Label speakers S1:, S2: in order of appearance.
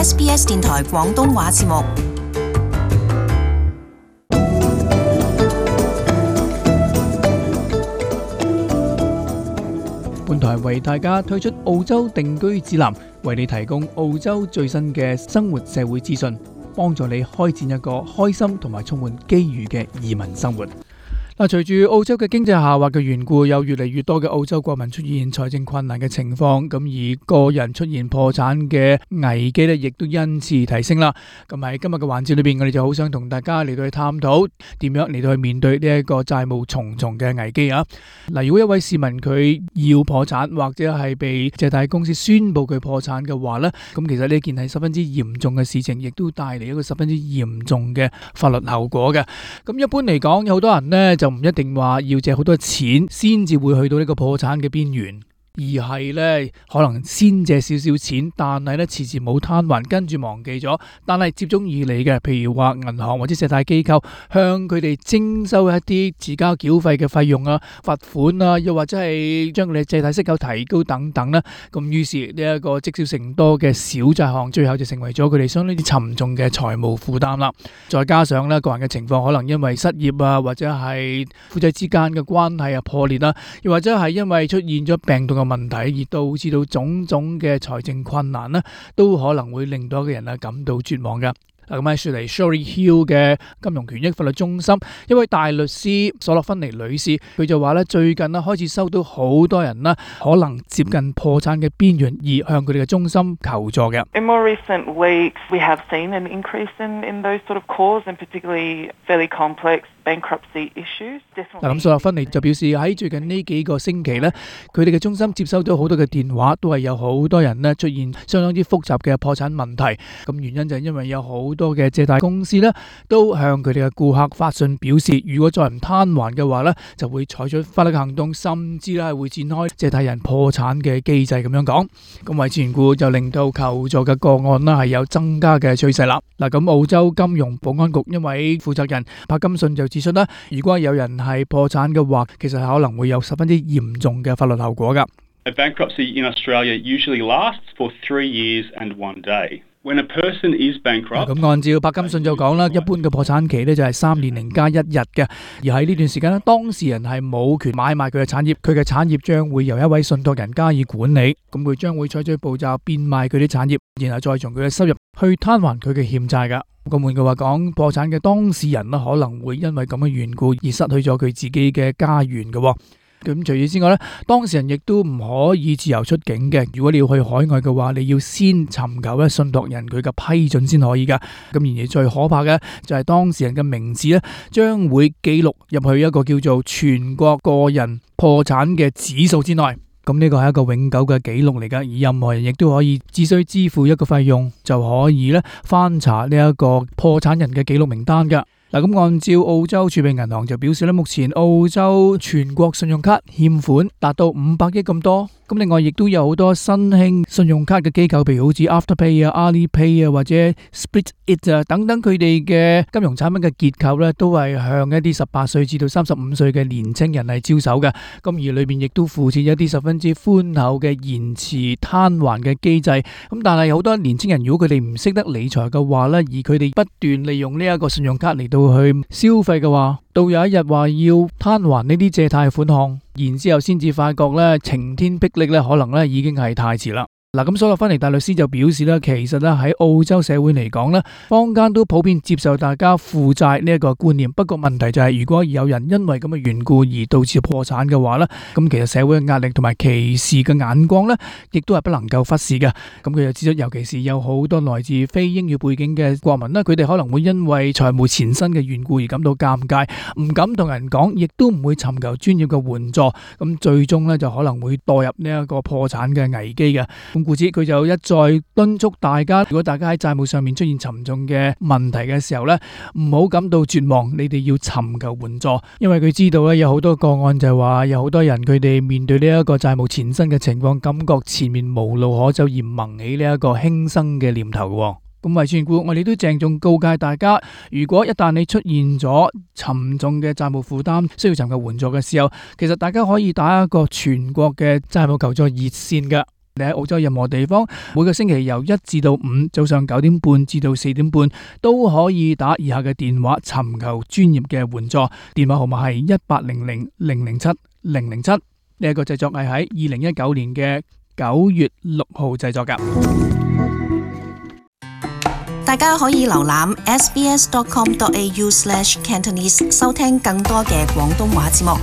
S1: SBS 電台廣東話節目。
S2: 本台為大家推出澳洲定居指南，為你提供澳洲最新嘅生活社會資訊，幫助你開展一個開心同埋充滿機遇嘅移民生活。隨住澳洲嘅經濟下滑嘅緣故，有越嚟越多嘅澳洲國民出現財政困難嘅情況，咁而個人出現破產嘅危機呢，亦都因此提升啦。咁喺今日嘅環節裏邊，我哋就好想同大家嚟到去探討點樣嚟到去面對呢一個債務重重嘅危機啊！嗱，如果一位市民佢要破產，或者係被借貸公司宣布佢破產嘅話呢，咁其實呢件係十分之嚴重嘅事情，亦都帶嚟一個十分之嚴重嘅法律後果嘅。咁一般嚟講，有好多人呢就唔一定話要借好多錢先至會去到呢個破產嘅邊緣，而係呢可能先借少少錢，但係呢遲遲冇攤還，跟住忘記咗，但係接踵而嚟嘅，譬如話銀行或者借貸機構向佢哋徵收一啲遲交繳費嘅費用啊、罰款啊，又或者係將佢哋借貸息口提高等等啦。咁於是呢一個積少成多嘅小債項，最後就成為咗佢哋相當之沉重嘅財務負擔啦。再加上呢個人嘅情況可能因為失業啊，或者係夫妻之間嘅關係啊破裂啦，又或者係因為出現咗病痛嘅問題而導致到種種嘅財政困難呢，都可能會令到一個人感到絕望嘅。咁喺雪梨 Shorey Hill 嘅金融權益法律中心一位大律師索洛芬尼女士，佢就話咧，最近開始收到好多人可能接近破產嘅邊緣而向佢哋嘅中心求助嘅。
S3: In more recent weeks, we have seen an increase in those sort of calls, and particularly fairly complex bankruptcy issues.
S2: 咁索洛芬尼就表示喺最近呢幾個星期呢，佢哋嘅中心接收到好多嘅電話，都係有好多人出現相當之複雜嘅破產問題。咁原因就係因為有好多嘅借貸公司都向佢哋嘅顧客發信表示，如果再唔攤還嘅話就會採取法律行動，甚至係會展開借貸人破產嘅機制咁樣講。咁為此緣故就令到求助嘅個案係有增加嘅趨勢啦。咁澳洲金融保安局一位負責人柏金遜就指出如果有人係破產嘅話，其實可能會有十分之嚴重嘅法律後果㗎。
S4: A bankruptcy in Australia usually lasts for 3 years and 1 day. When a person is bankrupt， 咁
S2: 按照柏金遜就講啦，一般嘅破產期就係3年零加1日嘅，而喺呢段時間當事人係冇權買賣佢嘅產業，佢嘅產業將會由一位信託人加以管理，咁佢將會採取步驟變賣佢啲產業，然後再從佢嘅收入去攤還佢嘅欠債㗎。咁換句話講，破產嘅當事人可能會因為咁嘅緣故而失去咗佢自己嘅家園嘅。咁除此之外當事人亦都唔可以自由出境嘅。如果你要去海外嘅話，你要先尋求信託人佢嘅批准先可以噶。咁然而最可怕嘅就係當事人嘅名字將會記錄入去一個叫做全國個人破產嘅指數之內。咁呢個係一個永久嘅記錄嚟噶，而任何人亦都可以只需支付一個費用就可以翻查呢一個破產人嘅記錄名單噶。咁按照澳洲儲備銀行就表示目前澳洲全國信用卡欠款達到500億咁多。咁另外亦都有好多新興信用卡嘅機構，譬如好似 Afterpay 啊、Alipay 啊或者 SplitIt 啊等等，佢哋嘅金融產品嘅結構都係向一啲18歲至到35歲嘅年青人係招手嘅。咁而裏邊亦都附設一啲十分之寬厚嘅延遲攤還嘅機制。咁但係好多年青人如果佢哋唔識得理財嘅話而佢哋不斷利用呢一個信用卡嚟到去消費嘅話，到有一日話要攤還呢啲借貸款項，然之後先至發覺晴天霹靂可能已經係太遲啦。咁索洛芬尼大律師就表示其實喺澳洲社會嚟講坊間都普遍接受大家負債呢一個觀念。不過問題就係，如果有人因為咁嘅緣故而導致破產嘅話咁其實社會嘅壓力同埋歧視嘅眼光亦都係不能夠忽視嘅。咁佢就指出，尤其是有好多來自非英語背景嘅國民佢哋可能會因為財務纏身嘅緣故而感到尷尬，唔敢同人講，亦都唔會尋求專業嘅援助，咁最終就可能會墮入呢一個破產嘅危機嘅。故此佢就一再敦促大家，如果大家喺債務上面出現沉重嘅問題嘅時候唔好感到絕望，你哋要尋求援助，因為佢知道有好多個案就係話有好多人佢哋面對呢一個債務纏身嘅情況，感覺前面無路可走而萌起呢一個輕生嘅念頭嘅。咁為此緣故，我哋都鄭重告誡大家，如果一旦你出現咗沉重嘅債務負擔，需要尋求援助嘅時候，其實大家可以打一個全國嘅債務求助熱線嘅。你喺澳洲任何地方，每個星期由1至到5早上9點半至到4點半都可以打以下嘅電話尋求專業嘅援助。電話號碼係1800-007-007。呢一個製作係喺2019年嘅9月6號製作㗎。
S1: 大家可以瀏覽 sbs.com.au/Cantonese 收聽更多嘅廣東話節目。